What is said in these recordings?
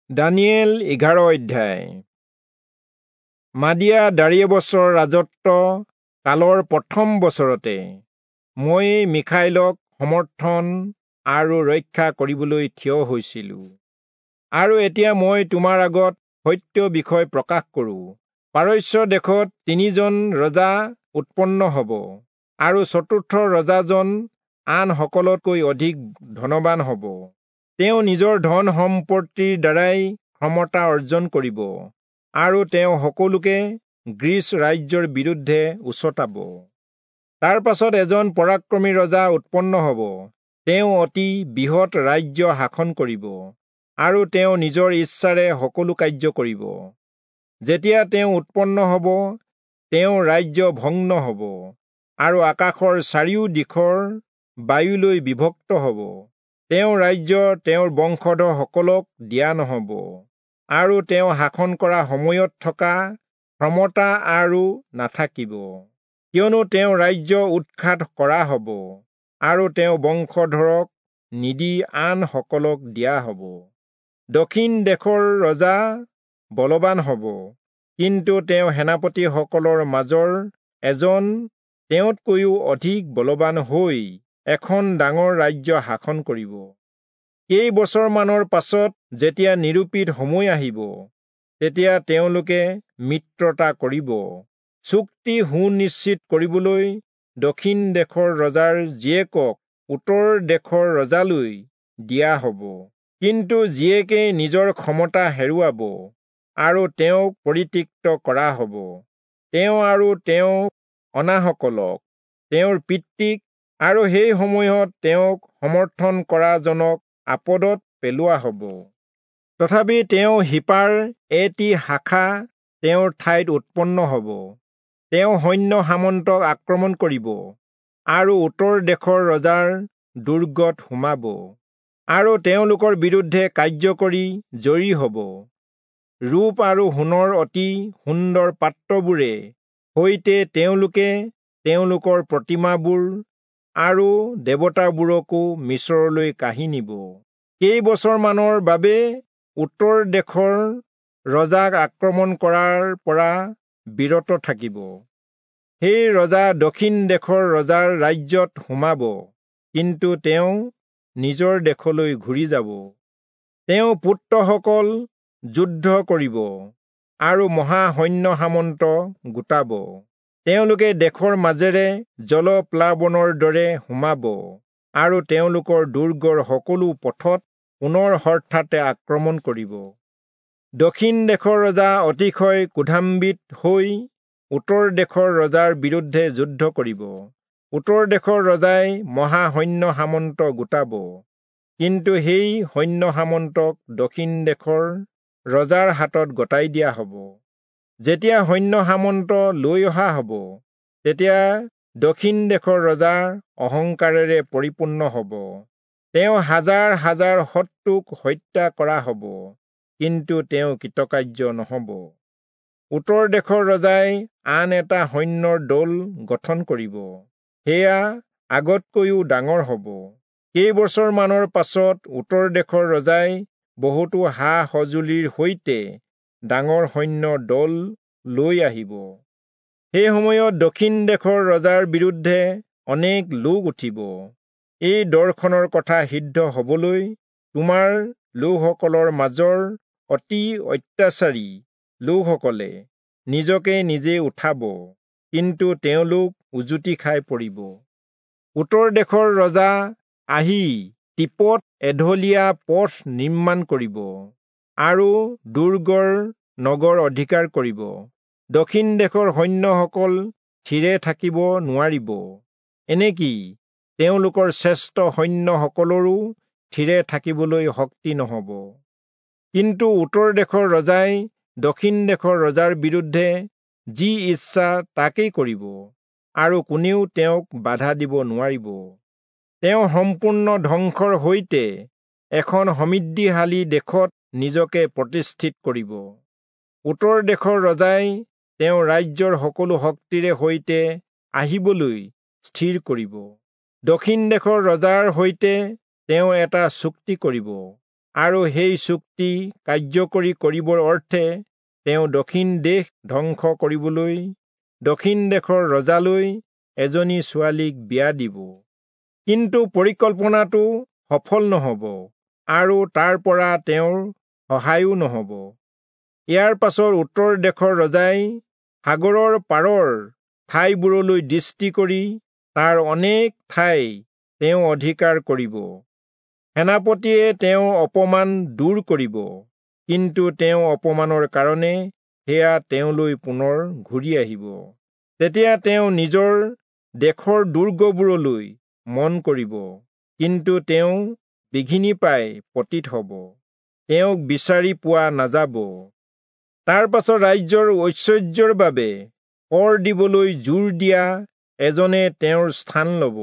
দানিয়েল 11 অধ্যায়। মাদিয়া দাৰিয়েবছৰ ৰাজত্ব কালৰ প্ৰথম বছৰতে মই মিখাইলক সমৰ্থন আৰু ৰক্ষা কৰিবলৈ থিয় হৈছিলো। আৰু এতিয়া মই তোমাৰ আগত সত্য বিষয় প্ৰকাশ কৰোঁ। পাৰস্য দেশত তিনিজন ৰজা উৎপন্ন হ'ব, আৰু চতুৰ্থ ৰজাজন আন সকলোতকৈ অধিক ধনবান হ'ব। তেওঁ নিজৰ ধন সম্পত্তিৰ দ্বাৰাই ক্ষমতা অৰ্জন কৰিব, আৰু তেওঁ সকলোকে গ্ৰীচ ৰাজ্যৰ বিৰুদ্ধে উচটাব। তাৰ পাছত এজন পৰাক্ৰমী ৰজা উৎপন্ন হ'ব। তেওঁ অতি বৃহৎ ৰাজ্য শাসন কৰিব, আৰু তেওঁ নিজৰ ইচ্ছাৰে সকলো কাৰ্য কৰিব। যেতিয়া তেওঁ উৎপন্ন হ'ব, তেওঁৰ ৰাজ্য ভগ্ন হ'ব, আৰু আকাশৰ চাৰিও দিশৰ বায়ুলৈ বিভক্ত হ'ব। তেওঁৰ ৰাজ্য তেওঁৰ বংশধৰসকলক দিয়া নহ'ব, আৰু তেওঁ শাসন কৰা সময়ত থকা ক্ষমতা আৰু নাথাকিব, কিয়নো তেওঁ ৰাজ্য উৎখাত কৰা হ'ব, আৰু তেওঁ বংশধৰক নিদি আন সকলক দিয়া হ'ব। দক্ষিণ দেশৰ ৰজা বলৱান হ'ব, কিন্তু তেওঁ সেনাপতিসকলৰ মাজৰ এজন তেওঁতকৈও অধিক বলৱান হৈ এখন ডাঙৰ ৰাজ্য শাসন কৰিব। কেইবছৰমানৰ পাছত যেতিয়া নিৰূপিত সময় আহিব, তেতিয়া তেওঁলোকে মিত্ৰতা কৰিব। চুক্তি সুনিশ্চিত কৰিবলৈ দক্ষিণ দেশৰ ৰজাৰ জীয়েকক উত্তৰ দেশৰ ৰজালৈ দিয়া হ'ব, কিন্তু জীয়েকে নিজৰ ক্ষমতা হেৰুৱাব, আৰু তেওঁক পৰিত্যক্ত কৰা হ'ব। তেওঁ আৰু তেওঁ অনাসকলক, তেওঁৰ পিতৃক আৰু সেই সময়ত তেওঁক সমৰ্থন কৰাজনক আপদত পেলোৱা হ'ব। তথাপি তেওঁ শিপাৰ এটি শাখা তেওঁৰ ঠাইত উৎপন্ন হ'ব। তেওঁ সৈন্য সামন্তক আক্ৰমণ কৰিব, আৰু উত্তৰ দেশৰ ৰজাৰ দুৰ্গত সোমাব, আৰু তেওঁলোকৰ বিৰুদ্ধে কাৰ্য কৰি জয়ী হ'ব। ৰূপ আৰু সোণৰ অতি সুন্দৰ পাত্ৰবোৰে সৈতে তেওঁলোকে তেওঁলোকৰ প্ৰতিমাবোৰ আৰু দেৱতাবোৰকো মিছৰলৈ কাঢ়ি নিব। কেইবছৰমানৰ বাবে উত্তৰ দেশৰ ৰজাক আক্ৰমণ কৰাৰ পৰা বিৰত থাকিব। সেই ৰজা দক্ষিণ দেশৰ ৰজাৰ ৰাজ্যত সোমাব, কিন্তু তেওঁ নিজৰ দেশলৈ ঘূৰি যাব। তেওঁ পুত্ৰসকল যুদ্ধ কৰিব, আৰু মহা সৈন্য সামন্ত গোটাব। তেওঁলোকে দেশৰ মাজেৰে জলপ্লাৱনৰ দৰে সোমাব, আৰু তেওঁলোকৰ দুৰ্গৰ সকলো পথত পুনৰ হঠাতে আক্ৰমণ কৰিব। দক্ষিণ দেশৰ ৰজা অতিশয় ক্ৰোধান্বিত হৈ উত্তৰ দেশৰ ৰজাৰ বিৰুদ্ধে যুদ্ধ কৰিব। উত্তৰ দেশৰ ৰজাই মহা সৈন্য সামন্ত গোটাব, কিন্তু সেই সৈন্য সামন্তক দক্ষিণ দেশৰ ৰজাৰ হাতত গতাই দিয়া হ'ব। যেতিয়া সৈন্য সামন্ত লৈ অহা হ'ব, তেতিয়া দক্ষিণ দেশৰ ৰজাৰ অহংকাৰেৰে পৰিপূৰ্ণ হ'ব। তেওঁ হাজাৰ হাজাৰ শত্ৰুক হত্যা কৰা হ'ব, কিন্তু তেওঁ কৃতকাৰ্য নহ'ব। উত্তৰ দেশৰ ৰজাই আন এটা সৈন্যৰ দল গঠন কৰিব, সেয়া আগতকৈও ডাঙৰ হ'ব। কেইবছৰমানৰ পাছত উত্তৰ দেশৰ ৰজাই বহুতো সা সঁজুলিৰ সৈতে ডাঙৰ সৈন্যৰ দল লৈ আহিব। সেই সময়ত দক্ষিণ দেশৰ ৰজাৰ বিৰুদ্ধে অনেক লোক উঠিব। এই দৰ্শনৰ কথা সিদ্ধ হ'বলৈ তোমাৰ লোকসকলৰ মাজৰ অতি অত্যাচাৰী লোকসকলে নিজকে নিজে উঠাব, কিন্তু তেওঁলোক উজুতি খাই পৰিব। উত্তৰ দেশৰ ৰজা আহি টিপত এঢলীয়া পথ নিৰ্মাণ কৰিব, আৰু দুৰ্গৰ নগৰ অধিকাৰ কৰিব। দক্ষিণ দেশৰ সৈন্যসকল থিৰে থাকিব নোৱাৰিব, এনেকি তেওঁলোকৰ শ্ৰেষ্ঠ সৈন্যসকলৰো থিৰে থাকিবলৈ শক্তি নহ'ব। কিন্তু উত্তৰ দেশৰ ৰজাই দক্ষিণ দেশৰ ৰজাৰ বিৰুদ্ধে যি ইচ্ছা তাকেই কৰিব, আৰু কোনেও তেওঁক বাধা দিব নোৱাৰিব। তেওঁ সম্পূৰ্ণ ধ্বংসৰ সৈতে এখন সমৃদ্ধিশালী দেশত নিজকে প্ৰতিষ্ঠিত কৰিব। উত্তৰ দেশৰ ৰজাই তেওঁ ৰাজ্যৰ সকলো শক্তিৰে সৈতে আহিবলৈ স্থিৰ কৰিব। দক্ষিণ দেশৰ ৰজাৰ সৈতে তেওঁ এটা চুক্তি কৰিব, আৰু সেই চুক্তি কাৰ্যকৰী কৰিবৰ অৰ্থে তেওঁ দক্ষিণ দেশ ধ্বংস কৰিবলৈ দক্ষিণ দেশৰ ৰজালৈ এজনী ছোৱালীক বিয়া দিব। কিন্তু পৰিকল্পনাটো সফল নহ'ব আৰু তাৰ পৰা তেওঁৰ সহায়ো নহ'ব। ইয়াৰ পাছত উত্তৰ দেশৰ ৰজাই সাগৰৰ পাৰৰ ঠাইবোৰলৈ দৃষ্টি কৰি তাৰ অনেক ঠাই তেওঁ অধিকাৰ কৰিব। সেনাপতিয়ে তেওঁৰ অপমান দূৰ কৰিব, কিন্তু তেওঁ অপমানৰ কাৰণে সেয়া তেওঁলৈ পুনৰ ঘূৰি আহিব। তেতিয়া তেওঁ নিজৰ দেশৰ দুৰ্গবোৰলৈ মন কৰিব, কিন্তু তেওঁ বিঘিনি পাই পতিত হ'ব, তেওঁক বিচাৰি পোৱা নাযাব। তাৰ পাছত ৰাজ্যৰ ঐশ্বৰ্যৰ বাবে কৰ দিবলৈ জোৰ দিয়া এজনে তেওঁৰ স্থান ল'ব।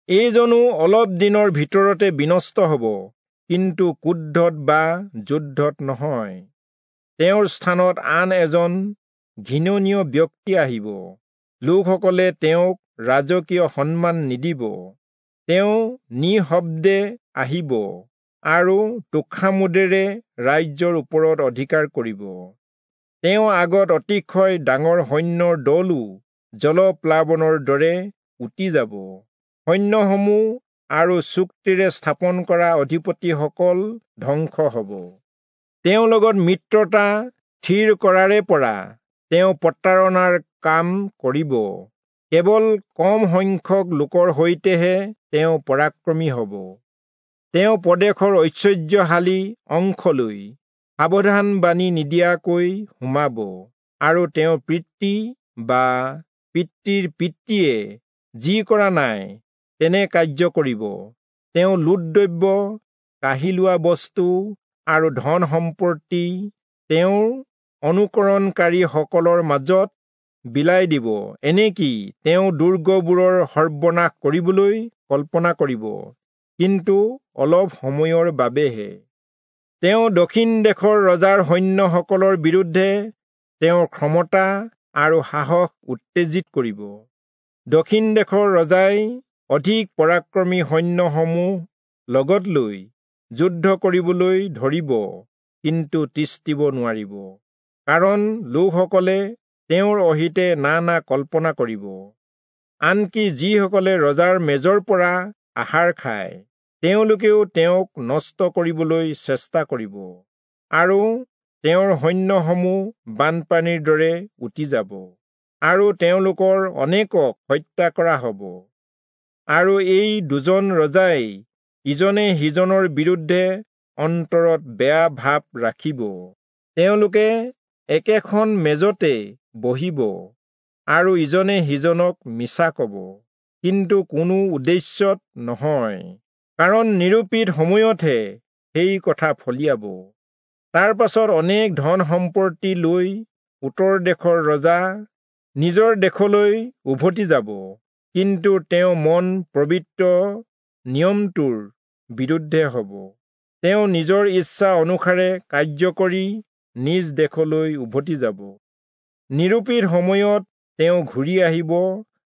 এইজনো অলপ দিনৰ ভিতৰতে বিনষ্ট হ'ব, কিন্তু ক্ৰোধত বা যুদ্ধত নহয়। তেওঁৰ স্থানত আন এজন ঘৃণনীয় ব্যক্তি আহিব। লোকসকলে তেওঁক ৰাজকীয় সন্মান নিদিব। তেওঁ নিঃশব্দে আহিব আৰু তোষামোদেৰে ৰাজ্যৰ ওপৰত অধিকাৰ কৰিব। তেওঁ আগত অতিশয় ডাঙৰ সৈন্যৰ দলো জলপ্লাৱনৰ দৰে উটি যাব। সৈন্যসমূহ আৰু চুক্তিৰে স্থাপন কৰা অধিপতিসকল ধ্বংস হ'ব। তেওঁৰ লগত মিত্ৰতা থিৰ কৰাৰে পৰা তেওঁ প্ৰতাৰণাৰ কাম কৰিব। কেৱল কম সংখ্যক লোকৰ সৈতেহে তেওঁ পৰাক্ৰমী হ'ব। তেওঁ প্ৰদেশৰ ঐশ্বৰ্যশালী অংশলৈ সাৱধান বাণী নিদিয়াকৈ সোমাব আৰু তেওঁৰ পিতৃ বা পিতৃৰ পিতৃয়ে যি কৰা নাই তেনে কাৰ্য কৰিব। তেওঁ লুটদ্ৰব্য, কাঢ়ি লোৱা বস্তু আৰু ধন সম্পত্তি তেওঁৰ অনুকৰণকাৰীসকলৰ মাজত বিলাই দিব। এনেকি তেওঁ দুৰ্গবোৰৰ সৰ্বনাশ কৰিবলৈ কল্পনা কৰিব, কিন্তু অলপ সময়ৰ বাবেহে। তেওঁ দক্ষিণ দেশৰ ৰজাৰ সৈন্যসকলৰ বিৰুদ্ধে তেওঁৰ ক্ষমতা আৰু সাহস উত্তেজিত কৰিব। দক্ষিণ দেশৰ ৰজাই অধিক পৰাক্ৰমী সৈন্যসমূহ লগত লৈ যুদ্ধ কৰিবলৈ ধৰিব, কিন্তু তিষ্ঠিব নোৱাৰিব, কাৰণ লোকসকলে তেওঁৰ অহিতে নানা কল্পনা কৰিব। আনকি যিসকলে ৰজাৰ মেজৰ পৰা আহাৰ খায়, তেওঁলোকেও তেওঁক নষ্ট কৰিবলৈ চেষ্টা কৰিব আৰু তেওঁৰ সৈন্যসমূহ বানপানীৰ দৰে উটি যাব আৰু তেওঁলোকৰ অনেকক হত্যা কৰা হ'ব। আৰু এই দুজন ৰজাই ইজনে সিজনৰ বিৰুদ্ধে অন্তৰত বেয়া ভাৱ ৰাখিব। তেওঁলোকে একেখন মেজতে বহিব আৰু ইজনে সিজনক মিছা ক'ব, কিন্তু কোনো উদ্দেশ্যত নহয়, কাৰণ নিৰূপিত সময়তহে সেই কথা ফলিয়াব। তাৰ পাছত অনেক ধন সম্পত্তি লৈ উত্তৰ দেশৰ ৰজা নিজৰ দেশলৈ উভতি যাব, কিন্তু তেওঁ মন পবিত্ৰ নিয়মটোৰ বিৰুদ্ধে হ'ব। তেওঁ নিজৰ ইচ্ছা অনুসাৰে কাৰ্য কৰি নিজ দেশলৈ উভতি যাব। নিৰূপিত সময়ত তেওঁ ঘূৰি আহিব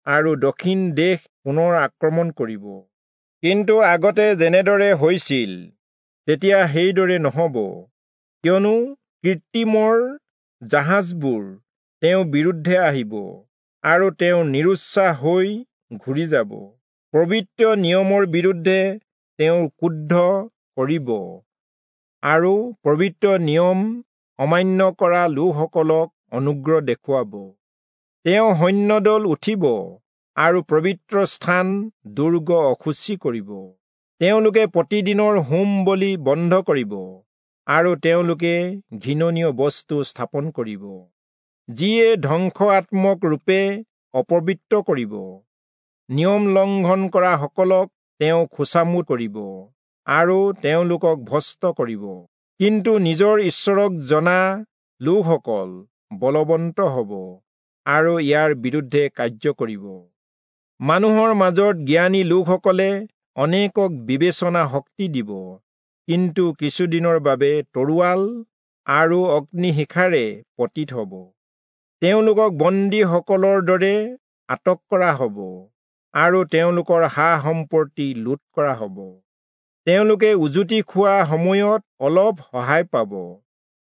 আৰু দক্ষিণ দেশ পুনৰ আক্ৰমণ কৰিব, কিন্তু আগতে যেনেদৰে হৈছিল তেতিয়া সেইদৰে নহ'ব, কিয়নো কৃত্ৰিমৰ জাহাজবোৰ তেওঁৰ বিৰুদ্ধে আহিব আৰু তেওঁ নিৰুৎসাহ হৈ ঘূৰি যাব। পবিত্ৰ নিয়মৰ বিৰুদ্ধে তেওঁ ক্ৰুদ্ধ কৰিব আৰু পবিত্ৰ নিয়ম অমান্য কৰা লোকসকলক অনুগ্ৰহ দেখুৱাব। তেওঁ সৈন্যদল উঠিব আৰু পবিত্ৰ স্থান দুৰ্গ অশুচি কৰিব। তেওঁলোকে প্ৰতিদিনৰ হোম বলি বন্ধ কৰিব আৰু তেওঁলোকে ঘৃণনীয় বস্তু স্থাপন কৰিব, যিয়ে ধ্বংসাত্মক ৰূপে অপবিত্ৰ কৰিব। নিয়ম লংঘন কৰা সকলক তেওঁ খোচামোদ কৰিব আৰু তেওঁলোকক ভ্ৰষ্ট কৰিব, কিন্তু নিজৰ ঈশ্বৰক জনা লোকসকল বলৱন্ত হ'ব আৰু ইয়াৰ বিৰুদ্ধে কাৰ্য কৰিব। মানুহৰ মাজত জ্ঞানী লোকসকলে অনেকক বিবেচনা শক্তি দিব, কিন্তু কিছুদিনৰ বাবে তৰোৱাল আৰু অগ্নিশিখাৰে পতিত হ'ব। তেওঁলোকক বন্দীসকলৰ দৰে আটক কৰা হ'ব আৰু তেওঁলোকৰ সা সম্পত্তি লুট কৰা হ'ব। তেওঁলোকে উজুতি খোৱা সময়ত অলপ সহায় পাব।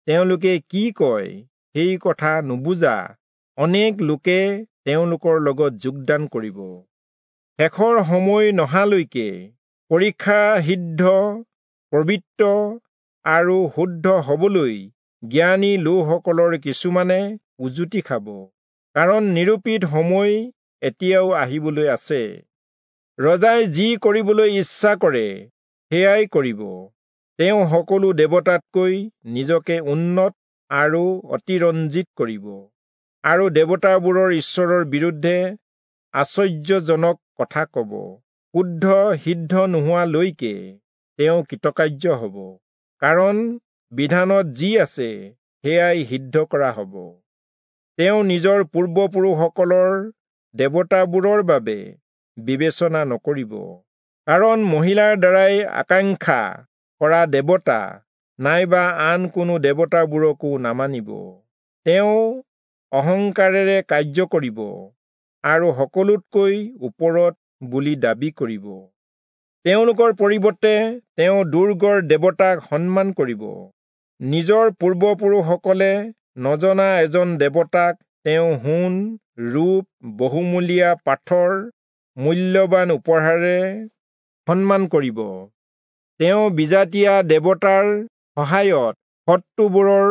তেওঁলোকে কি কয় সেই কথা নুবুজা অনেক লোকে তেওঁলোকৰ লগত যোগদান কৰিব। শেষৰ সময় নহালৈকে পৰীক্ষা সিদ্ধ, পবিত্ৰ আৰু শুদ্ধ হবলৈ জ্ঞানী লোকসকলৰ কিছুমানে উজুতি খাব, কাৰণ নিৰূপিত সময় এতিয়াও আহিবলৈ আছে। ৰজাই যি কৰিবলৈ ইচ্ছা কৰে সেয়াই কৰিব। তেওঁ সকলো দেৱতাতকৈ নিজকে উন্নত আৰু অতিৰঞ্জিত কৰিব আৰু দেৱতাবোৰৰ ঈশ্বৰৰ বিৰুদ্ধে আশ্চৰ্যজনক কথা কব। শুদ্ধ সিদ্ধ নোহোৱালৈকে তেওঁ কৃতকাৰ্য হব, কাৰণ বিধানত যি আছে সেয়াই সিদ্ধ কৰা হব। তেওঁ নিজৰ পূৰ্বপুৰুষসকলৰ দেৱতাবোৰৰ বাবে বিবেচনা নকৰিব, কাৰণ মহিলাৰ দ্বাৰাই আকাংক্ষা কৰা দেৱতা নাইবা আন কোনো দেৱতাবোৰকো নামানিব। তেওঁ অহংকাৰেৰে কাৰ্য কৰিব আৰু সকলোতকৈ ওপৰত বুলি দাবী কৰিব। তেওঁলোকৰ পৰিৱৰ্তে তেওঁ দুৰ্গৰ দেৱতাক সন্মান কৰিব। নিজৰ পূৰ্বপুৰুষসকলে নজনা এজন দেৱতাক তেওঁ সোণ, ৰূপ, বহুমূলীয়া পাথৰ, মূল্যৱান উপহাৰেৰে সন্মান কৰিব। তেওঁ বিজাতীয়া দেৱতাৰ সহায়ত শত্ৰুবোৰৰ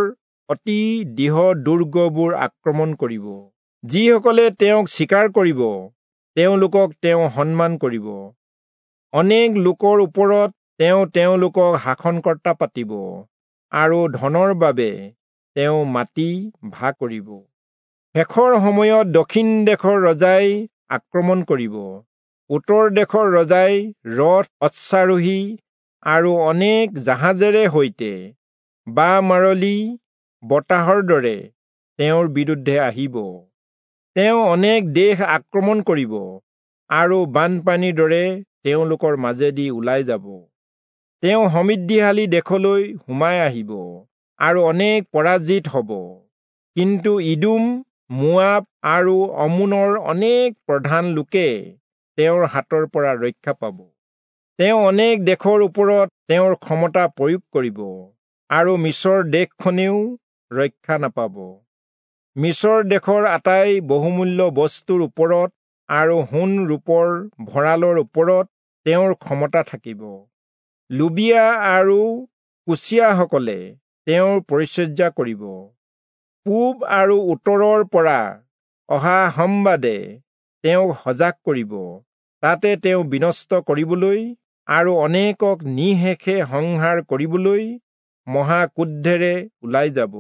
অতি দৃঢ় দুৰ্গবোৰ আক্ৰমণ কৰিব। যিসকলে তেওঁক স্বীকাৰ কৰিব তেওঁলোকক তেওঁ সন্মান কৰিব। অনেক লোকৰ ওপৰত তেওঁ তেওঁলোকক শাসনকৰ্তা পাতিব আৰু ধনৰ বাবে তেওঁ মাটি ভাগ কৰিব। শেষৰ সময়ত দক্ষিণ দেশৰ ৰজাই আক্ৰমণ কৰিব। উত্তৰ দেশৰ ৰজাই ৰথ, অশ্বাৰোহী আৰু অনেক জাহাজেৰে সৈতে বা মাৰলি বতাহৰ দৰে তেওঁৰ বিৰুদ্ধে আহিব। তেওঁ অনেক দেশ আক্ৰমণ কৰিব আৰু বানপানীৰ দৰে তেওঁলোকৰ মাজেদি ওলাই যাব। তেওঁ সমৃদ্ধিশালী দেশলৈ সোমাই আহিব আৰু অনেক পৰাজিত হব। কিন্তু ইদোম, মোৱাব আৰু অম্মোনৰ অনেক প্ৰধান লোকে তেওঁৰ হাতৰ পৰা ৰক্ষা পাব। তেওঁ অনেক দেশৰ ওপৰত তেওঁৰ ক্ষমতা প্ৰয়োগ কৰিব আৰু মিচৰ দেশখনেও ৰক্ষা নাপাব। মিচৰ দেশৰ আটাই বহুমূল্য বস্তুৰ ওপৰত আৰু সোণ ৰূপৰ ভঁৰালৰ ওপৰত তেওঁৰ ক্ষমতা থাকিব। লুবিয়া আৰু কুচীয়াসকলে তেওঁৰ পৰিচৰ্যা কৰিব। পূব আৰু উত্তৰৰ পৰা অহা সম্বাদে তেওঁক সজাগ কৰিব। তাতে তেওঁ বিনষ্ট কৰিবলৈ আৰু অনেকক নিঃশেষে সংহাৰ কৰিবলৈ মহাক্ৰোধেৰে ওলাই যাব।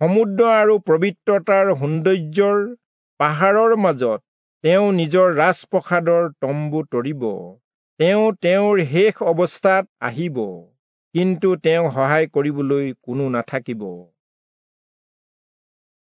সমুদ্ৰ আৰু পবিত্ৰতাৰ সৌন্দৰ্যৰ পাহাৰৰ মাজত তেওঁ নিজৰ ৰাজপ্ৰসাদৰ তম্বু তৰিব। তেওঁ তেওঁৰ শেষ অৱস্থাত আহিব, কিন্তু তেওঁক সহায় কৰিবলৈ কোনো নাথাকিব।